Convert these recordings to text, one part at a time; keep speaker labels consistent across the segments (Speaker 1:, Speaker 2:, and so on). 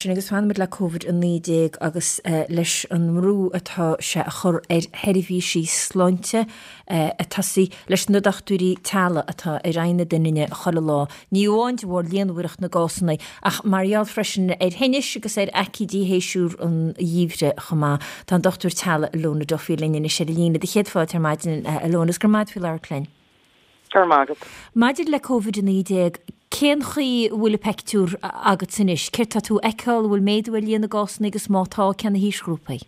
Speaker 1: Sin agus fanfaimid le Covid-19 agus leis an mbrú atá sé a chur ar sheirbhísí sláinte, ag tosaí leis na dochtúirí teaghlaigh atá ar aghaidh na doininne chuile lá, ní amháin de bharr líonmhaireacht na gcásanna ach mar gheall freisin ar thinnis agus ar aicídí shéasúr an gheimhridh chomh maith. Tá an dochtúir teaghlaigh Ilona Duffy linn anois ar an líne. Do chéad fáilte ar maidin, a Ilona, agus go raibh maith agat faoi labhairt linn.
Speaker 2: Go raibh maith agat.
Speaker 1: Maidir le Covid-19, cén chaoi a bhfuil an peictiúr agatsa anois? Céard tá tú a fheiceáil? An bhfuil méadú ar líon na gcásanna agus má tá, cé na haoisghrúpaí?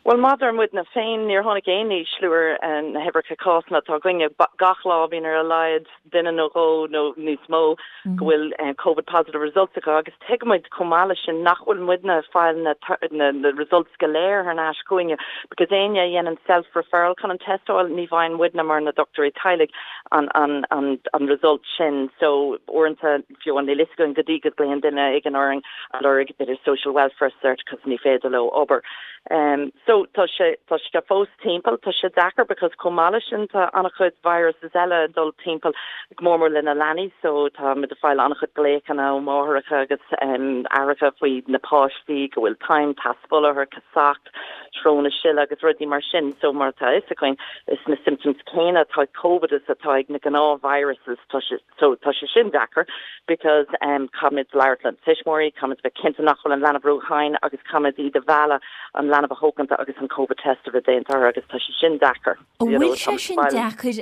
Speaker 2: Bhuel, maidir muidne féin, níor tháinig aon ísliú ar na huimhreacha cásanna atá againne. Gach lá bíonn ar a laghad duine nó dhó nó níos mó go bhfuil Covid positive results acu agus tuigimid chomh maith leis sin nach bhfuil muidne ag fáil na na results go léir thar n-ais chugainne because éinne a dhéanann self referral chun an test a fháil ní bhfaigheann muidne mar na dochtúirí teaghlaigh an an an an result sin so uaireanta fiú níl fhios againn go dtí go glaonn duine éigin orainn ag lorg b'fhéidir social welfare cert cos ní féidir leo obair. Um so tá sé tá sé fós timpeall, tá sé deacair because chomh maith leis sin tá an-chuid viruses eile ag dul timpeall go mór mór le na leanaí so tá muid ag fáil an-chuid glaochanna ó mháithreacha agus um aithreacha faoi na páistí go bhfuil taom teas fola orthu, casacht, sróna sile agus rudaí mar sin so mar atá fhios againn is na symptoms céanna atá ag Covid is atá ag na gnáth viruses tá sé So tá sé sin deacair because um caithfimid labhairt le tuismitheoirí, caithfimid bheith cinnte nach bhfuil an leanbh ró-thinn agus caithfimid iad a mhealladh an leanbh a thógaint agus an Covid test a bheith déanta orthu agus tá sé sin deacair.
Speaker 1: An bhfuil sé sin deacair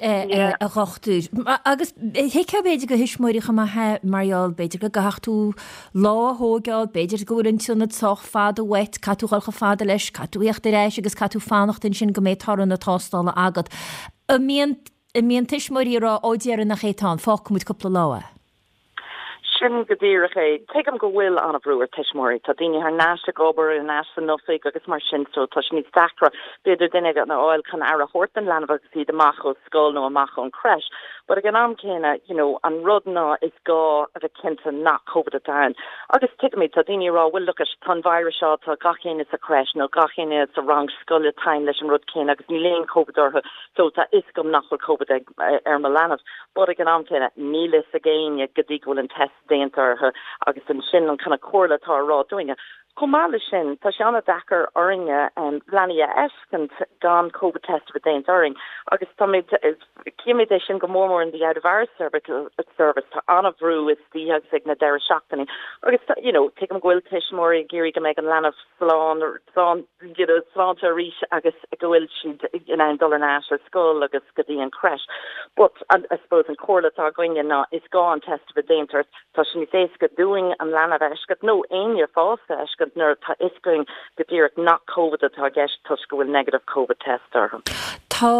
Speaker 1: a dhochtúir? Agus thuigfeá b'fhéidir do thuismitheoirí chomh maith é mar gheall b'fhéidir go gcaithfeadh tú lá a thóigeáil, b'fhéidir go bhfuil an t-ionad sách fada uait, caithfidh tú dhul chomh fada leis, caithfidh tú theacht ar ais agus caithfidh tú fanacht ansin go mbeidh toradh na tástála agat. An mbíonn An mbíonn tuismitheoirí ag rá, ó déarfainn nach é atá ann, fágfaidh muid cúpla lá é?
Speaker 2: Sin go díreach é. Tuigim go bhfuil an-bhrú ar tuismitheoirí. Tá daoine thar n-ais ag obair, thar n-ais san oifig agus mar sin so tá sé níos deacra b'fhéidir duine a fháil chun aire a thabhairt don leanbh agus iad amach ó scoil nó amach ón creche. But ag an am céanna, you know, an rud ná is gá a bheith cinnte nach Covid atá ann. Agus tuigimid, tá daoine ag rá, well look it, tá an virus seo, tá gach éinne sa creche nó gach éinne sa rang scoile tinn leis an rud céanna agus níl aon Covid orthu. So tá fhios agam nach bhfuil Covid ag, ar mo leanbh. But ag an am céanna, níl fhios ag éinne go dtí go bhfuil an test déanta orthu agus ansin an kind of comhairle atá á rá dúinne. Chomh maith leis sin, tá sé an-deacair orainne leanaí a fheiscint gan Covid test a bheith déanta orainn agus táimid, címid é sin go mór mór in the out of hours service, tá an-bhrú istoíche agus ag na deireadh seachtainí agus you know, tuigim go bhfuil tuismitheoirí ag iarraidh go mbeidh an leanbh slán, slán, you know, sláinte arís agus go bhfuil siad in ann dul ar ais ar scoil agus go dtí an creche. But I suppose an comhairle atá againne ná is gá an test a bheith déanta ort. Tá sé níos éasca dúinn an leanbh a fheiscint nó éinne fásta a fheiscint nuair atá fhios againn go díreach nach Covid atá i gceist toisc go bhfuil negative Covid test orthu.
Speaker 1: Tá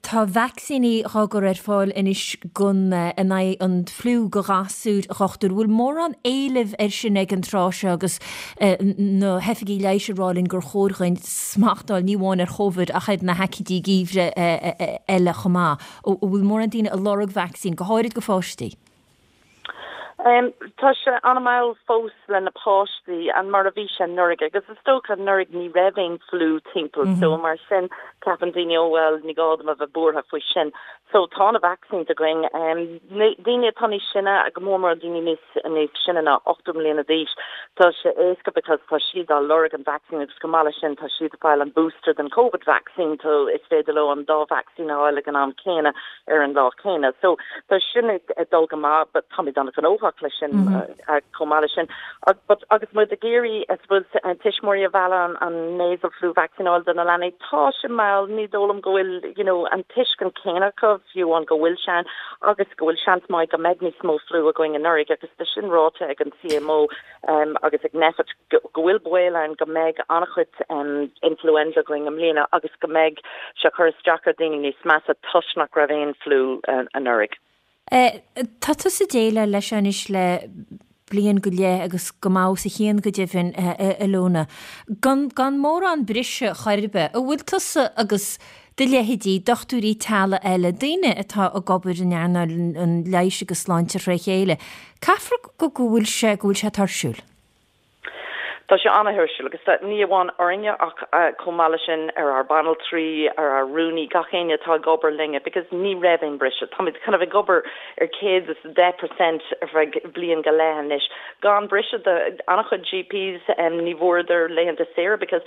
Speaker 1: tá vacsaíní dhá gcur ar fáil anois gon in aghaidh an fliú go ghasúir, a dhochtúir. Bhfuil mórán éilimh air sin ag an tráth seo agus na hoifigigh leighis ag rá linn gur chóir dhuinn smacht a fháil ní amháin ar Chóvid ach ar na haicídí geimhridh eile chomh maith. An bhfuil mórán daoine ag lorg vacsaín, go háirid go pháistí?
Speaker 2: Tá sé an-mhall fós le na páistí an mar a bhí sé anuraidh agus is dócha anuraidh ní raibh aon fliú timpeall so mar sin ceapann daoine oh well ní gá dom a bheith buartha faoi sin. So tá na vaccines againn. Daoine atá níos sine, go mór mór daoine níos níos sine ná 80 mbliana d'aois, tá sé éasca because tá siad á lorg an vaccine agus chomh maith leis sin tá siad ag fáil an booster den Covid vaccine so is féidir leo an dá vaccine a fháil ag an am céanna ar an lá céanna. So tá sin ag dul go maith but táimid an-ghnóthach leis sin chomh maith leis sin. But agus muid ag iarraidh I suppose tuismitheoirí a mhealladh an nasal flu vaccine a fháil do na leanaí, tá sé mall, ní dóigh liom go bhfuil you know an tuiscint céanna acu. fiú amháin go bhfuil sé ann agus go bhfuil seans maith go mbeidh níos mó fliú againn anuraidh agus tá sin ráite ag an CMO agus ag Nphet go bhfuil baol ann go mbeidh an-chuid influenza againn i mbliana agus go mbeidh sé ag cur isteach ar daoine níos measa toisc nach raibh aon fliú anuraidh.
Speaker 1: Tá tusa ag déileáil leis seo anois le bliain go leith agus go maith os a chionn go deimhin, a Ilona. Gan gan mórán briseadh chor ar bith, an bhfuil tusa agus do leithéidí, dochtúirí teaghlaigh eile, daoine atá ag obair in earnáil an leighis agus sláinte tré chéile, caithfear go go bhfuil sé go bhfuil sé tuirsiúil?
Speaker 2: Tá sé an-tuirsiúil agus tá, ní amháin orainne ach chomh maith leis sin ar ár banaltraí, ar ár rúnaí, gach éinne atá ag obair linne because ní raibh aon briseadh. Táimid kind of ag obair ar 110% ar feadh bliain go leith anois gan briseadh do an-chuid GPs ní bhfuaireadar laethanta saoire because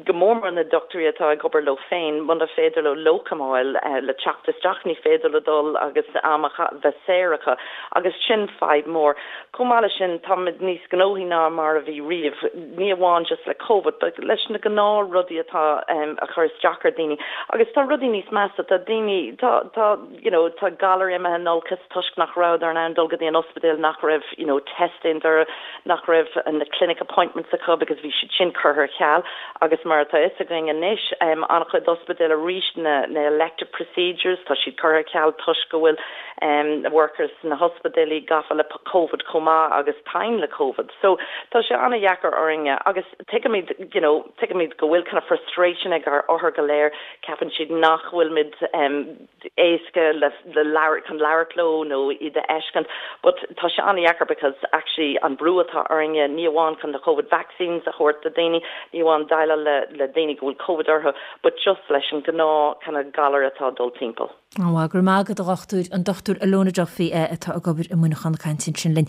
Speaker 2: go mór mór na dochtúirí atá ag obair leo féin, muna féidir leo locum a fháil le teacht isteach ní féidir leo dul agus am a bheith saor acu agus sin fadhb mór. Chomh maith leis sin, táimid níos gnóthaí ná mar a bhí riamh, ní amháin just le Covid, but leis na gnáth rudaí atá a chur isteach ar daoine. Agus tá rudaí níos measa, tá daoine, tá, tá, you know, tá galair imithe in olcas toisc nach rabhadar in ann dul go dtí an ospidéal, nach raibh, you know, test déanta orthu, nach raibh na clinic appointments acu because bhí siad sin curtha ar ceal. Agus mar atá fhios againn anois, an-chuid ospidéal arís na, na elective procedures, tá siad curtha ar ceal toisc go bhfuil, workers sna hospidéilí gafa le Covid chomh maith agus tinn le Covid. So tá sé an-dheacair orainne agus tuigimid, you know, tuigimid go bhfuil kind of frustration ag ár othair go léir, ceapann siad nach bhfuilimid éasca le le labhairt, chun labhairt leo nó iad a fheiscint but tá sé an-dheacair because actually an brú atá orainne ní amháin chun na Covid vaccines a thabhairt do daoine, ní amháin déileáil le le daoine go bhfuil Covid orthu but just leis an gnáth kind of galar atá ag dul timpeall.
Speaker 1: Go raibh maith agat a dhochtúir, an Dr Illona Duffy atá ag obair i Muineachán ag caint ansin linn.